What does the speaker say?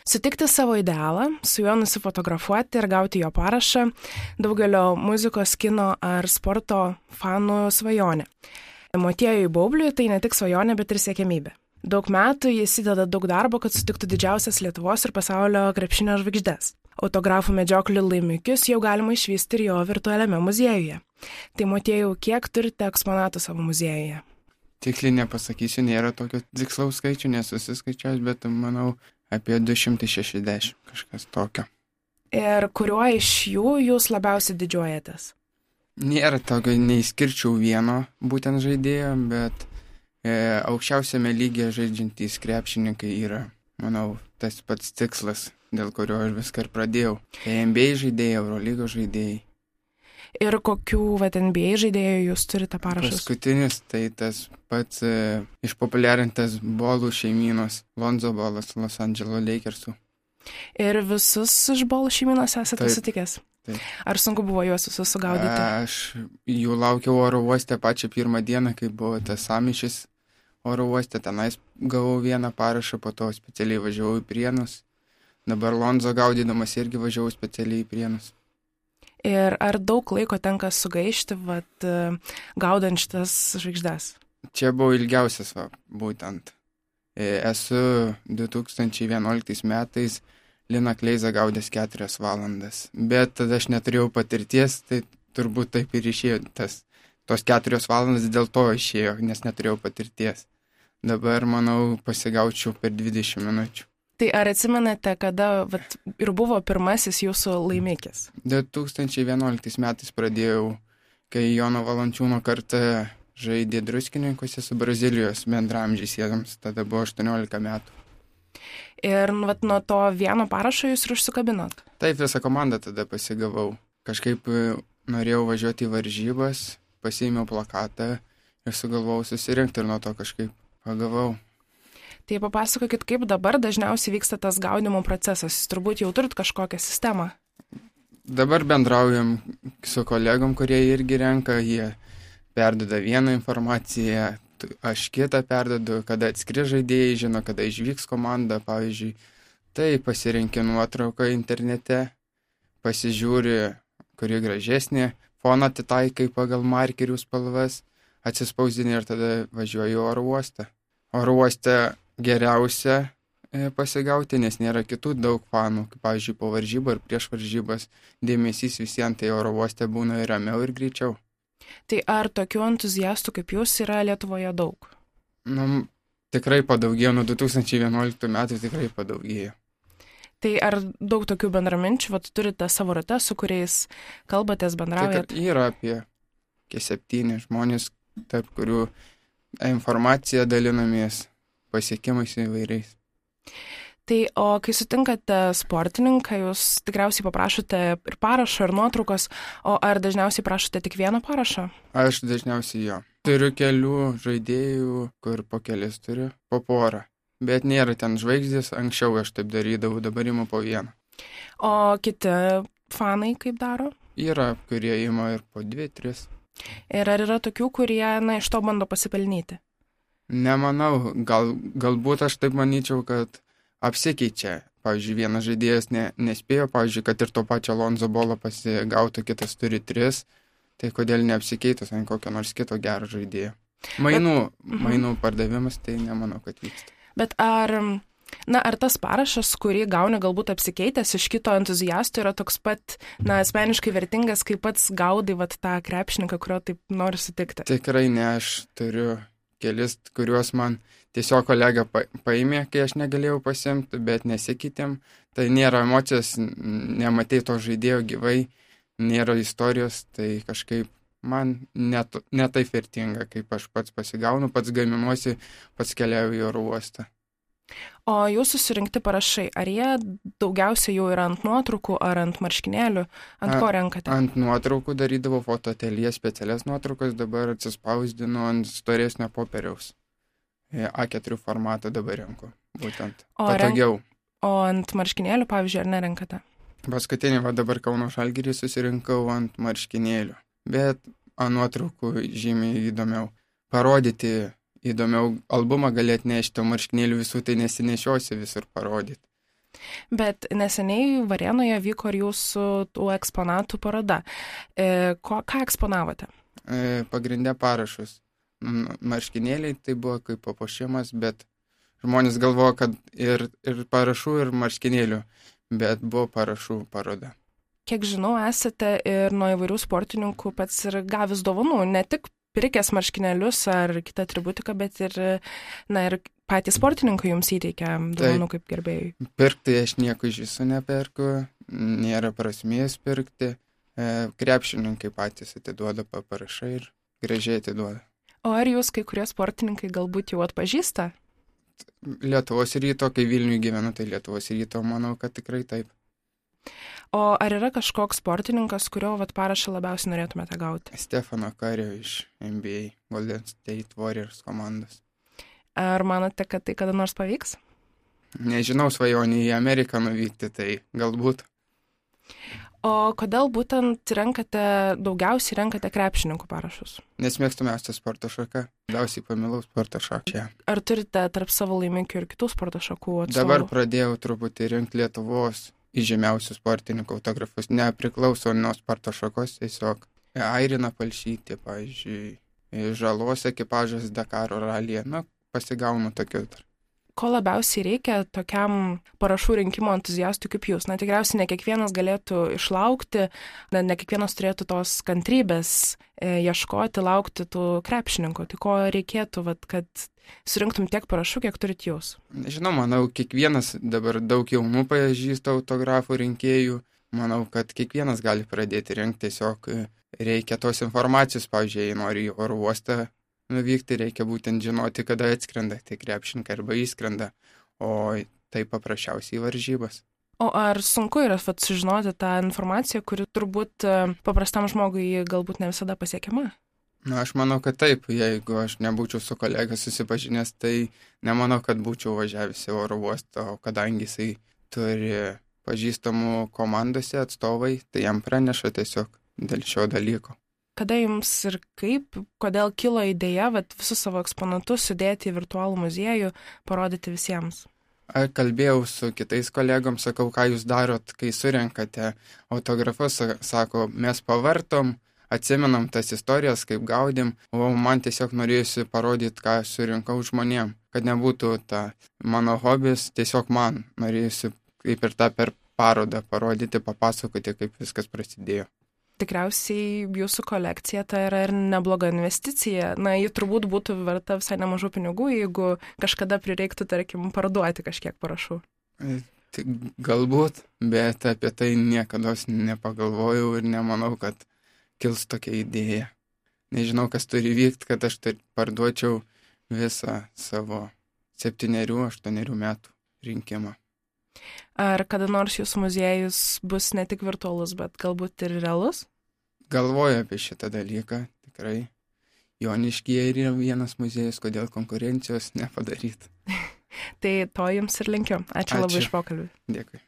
Sutikti savo idealą, su juo nusifotografuoti ir gauti jo parašą daugelio muzikos, kino ar sporto fanų svajonė. Motiejui Baubliui tai ne tik svajonė, bet ir siekiamybė. Daug metų jis įdeda daug darbo, kad sutiktų didžiausias Lietuvos ir pasaulio krepšinio žvaigždes. Autografų medžioklių laimikius jau galima išvysti ir jo virtualiame muziejuje. Tai Motiejau, kiek turite eksponatų savo muziejuje? Tiksliai nepasakysiu, nėra tokio tikslaus skaičių, nesusiskaičiaus, bet manau apie 260 kažkas tokio. Ir kuriuo iš jų jūs labiausiai didžiuojatės? Nėra tokio, neįskirčiau vieno būtent žaidėjo, bet aukščiausiame lygyje žaidžiantys krepšininkai yra, manau, tas pats tikslas, dėl kurio aš viską ir pradėjau. NBA žaidėjai, Eurolygos žaidėjai. Ir kokių NBA žaidėjų jūs turite parašus? Paskutinis tai tas pats išpopuliarintas bolų šeimynos, Lonzo Bolas, Los Angeles Lakersų. Ir visus iš bolų šeimynos esate sutikęs? Taip. Ar sunku buvo juos visus sugaudyti? Aš jų laukiau oro uoste pačią pirmą dieną, kai buvo tas samišis oro uoste. Tenais gavau vieną parašą, po to specialiai važiavau į Prienus. Dabar Lonzo gaudydamas irgi važiavau specialiai į Prienus. Ir ar daug laiko tenka sugaišti, gaudant šitas žvaigždes? Čia buvo ilgiausias, būtent. Esu 2011 metais Liną Kleizą gaudęs 4 valandas. Bet tada aš neturėjau patirties, tai turbūt taip ir išėjo. Tos 4 valandas dėl to išėjo, nes neturėjau patirties. Dabar, manau, pasigaučiau per 20 minučių. Tai ar atsimenate, kada ir buvo pirmasis jūsų laimikis? 2011 metais pradėjau, kai Jono Valančiūno karta žaidė Druskininkuose su Brazilijos bendramžiais jiems, tada buvo 18 metų. Ir nuo to vieno parašo jūs ir užsikabinot? Taip, visą komandą tada pasigavau. Kažkaip norėjau važiuoti į varžybas, pasiėmiau plakatą ir sugalvojau susirinkti ir nuo to kažkaip pagavau. Tai papasakokit, kaip dabar dažniausiai vyksta tas gaudimo procesas. Jūs turbūt jau turit kažkokią sistemą. Dabar bendraujam su kolegom, kurie irgi renka, jie perduoda vieną informaciją, aš kitą perdodu, kada atskri žaidėjai, žino, kada išvyks komanda, pavyzdžiui. Tai pasirenki nuotrauką internete, pasižiūri, kuri gražesnė, foną atitaikai pagal markerių spalvas, atsispausdini ir tada važiuoji į oro uostą. Oro uoste geriausia pasigauti, nes nėra kitų daug fanų, kaip pavyzdžiui po varžybą ir prieš varžybas dėmesys visiems, tai oro uoste būna ir ramiau ir greičiau. Tai ar tokių entuziastų kaip jūs yra Lietuvoje daug? Tikrai padaugėjo, nuo 2011 metų tikrai padaugėjo. Tai ar daug tokių bendraminčių, turite savo rate, su kuriais kalbatės, bendraujate? Tai yra apie 7 žmonės, tarp kurių informacija dalinamės pasiekimais įvairiais. Tai o kai sutinkate sportininką, jūs tikriausiai paprašote ir parašo, ir nuotraukos, o ar dažniausiai prašote tik vieno parašo? Aš dažniausiai jo. Turiu kelių žaidėjų, kur po kelis turiu, po porą. Bet nėra ten žvaigždės, anksčiau aš taip darydavau, dabar imu po vieną. O kiti fanai kaip daro? Yra, kurie ima ir po 2-3. Ir ar yra tokių, kurie iš to bando pasipelnyti? Nemanau, galbūt aš taip manyčiau, kad apsikeičia. Pavyzdžiui, vienas žaidėjas nespėjo, pavyzdžiui, kad ir to pačio Lonzo Bolo pasigautų, kitas turi 3, tai kodėl neapsikeitus ant kokio nors kito gero žaidėjo. Mainų pardavimas, tai nemanau, kad vyksta. Bet ar tas parašas, kurį gauni galbūt apsikeitęs iš kito entuziasto, yra toks pat, asmeniškai vertingas, kaip pats gaudai tą krepšininką, kurio taip nori sutikti? Tikrai ne, aš turiu kelis, kuriuos man tiesiog kolega paėmė, kai aš negalėjau pasiimti, bet nesikeitėm. Tai nėra emocijos, nematei to žaidėjo gyvai, nėra istorijos, tai kažkaip man netaip vertinga, kaip aš pats pasigaunu, pats gaminuosi, pats keliauju į oro uostą. O jūsų surinkti parašai, ar jie daugiausiai jau yra ant nuotraukų ar ant marškinėlių? Ant ko renkate? Ant nuotraukų darydavau fotoateljė specialias nuotraukas, dabar atsispausdinu ant storesnio popieriaus. A4 formatą dabar renku, būtent. Patogiau. O ant marškinėlių, pavyzdžiui, ar nerenkate? Paskutinį, dabar Kauno Žalgirį susirinkau ant marškinėlių, bet ant nuotraukų žymiai įdomiau. Parodyti įdomiau, albumą gali atnešti, o marškinėlių visų tai nesinešiosi visur parodyti. Bet neseniai Varėnoje vyko ir jūsų tų eksponatų paroda. Ką eksponavote? Pagrindė parašus. Marškinėliai tai buvo kaip papuošimas, bet žmonės galvoja, kad ir parašų, ir marškinėlių, bet buvo parašų paroda. Kiek žinau, esate ir nuo įvairių sportininkų pats ir gavęs dovanų, ne tik pirkęs marškinėlius ar kitą atributiką, bet ir patys sportininkai jums įteikia dovanų kaip gerbėjai. Pirkti aš nieko iš viso neperku, nėra prasmės pirkti. Krepšininkai patys atiduoda, paparašai ir gražiai atiduoda. O ar jūs kai kurie sportininkai galbūt jau atpažįsta? Lietuvos Ryto, kai Vilniuje gyvenu, tai Lietuvos Ryto, manau, kad tikrai taip. O ar yra kažkoks sportininkas, kurio parašą labiausiai norėtumėte gauti? Stefano Kario iš NBA, Golden State Warriors komandos. Ar manote, kad tai kada nors pavyks? Nežinau, svajonį į Ameriką nuvykti, tai galbūt. O kodėl būtent daugiausiai renkate krepšininkų parašus? Nes mėgstamiausia sporto šaka, daugiausiai pamilau sporto šaką. Ar turite tarp savo laimikių ir kitų sporto šakų atstovų? Dabar pradėjau truputį rinkti Lietuvos įžymiausių sportininkų autografus, nepriklauso nuo sporto šakos, tiesiog Airina Palšytė, pavyzdžiui, Žalos ekipažas Dakaro ralyje, pasigaunu tokių. Ko labiausiai reikia tokiam parašų rinkimo entuziastui kaip jūs? Tikriausiai ne kiekvienas galėtų išlaukti, ne kiekvienas turėtų tos kantrybės ieškoti, laukti tų krepšininkų. Tai ko reikėtų, kad surinktum tiek parašų, kiek turit jūs? Nežinau, manau, kiekvienas dabar daug jaunų pažįsta autografų rinkėjų. Manau, kad kiekvienas gali pradėti rinkti, tiesiog reikia tos informacijos, pavyzdžiui, jei nori į oro uostą nuvykti, reikia būtent žinoti, kada atskrenda tie krepšininkai arba įskrenda, o tai paprasčiausiai varžybas. O ar sunku yra sužinoti tą informaciją, kuri turbūt paprastam žmogui galbūt ne visada pasiekiama? Aš manau, kad taip. Jeigu aš nebūčiau su kolega susipažinęs, tai nemanau, kad būčiau važiavęs į oro uostą, o kadangi jisai turi pažįstamų komandose atstovai, tai jam praneša tiesiog dėl šio dalyko. Kada jums ir kodėl kilo idėja visus savo eksponatus sudėti į virtualų muziejų, parodyti visiems? Kalbėjau su kitais kolegom, sakau, ką jūs darot, kai surenkate autografus, sako, mes pavartom, atsimenam tas istorijas, kaip gaudėm, o man tiesiog norėjusi parodyti, ką surinkau žmonėm, kad nebūtų mano hobis, tiesiog man norėjusi kaip ir per parodą parodyti, papasakoti, kaip viskas prasidėjo. Tikriausiai jūsų kolekcija tai yra ir nebloga investicija. Ji turbūt būtų verta visai nemažų pinigų, jeigu kažkada prireiktų, tarkim, parduoti kažkiek parašų. Tai galbūt, bet apie tai niekada nepagalvojau ir nemanau, kad kils tokia idėja. Nežinau, kas turi vykti, kad aš parduočiau visą savo 7-8 metų rinkimą. Ar kada nors jūsų muziejus bus ne tik virtualus, bet galbūt ir realus? Galvoju apie šitą dalyką, tikrai. Joniškyje yra vienas muziejus, kodėl konkurencijos nepadaryti. Tai to jums ir linkiu. Ačiū labai už pokalbį. Dėkui.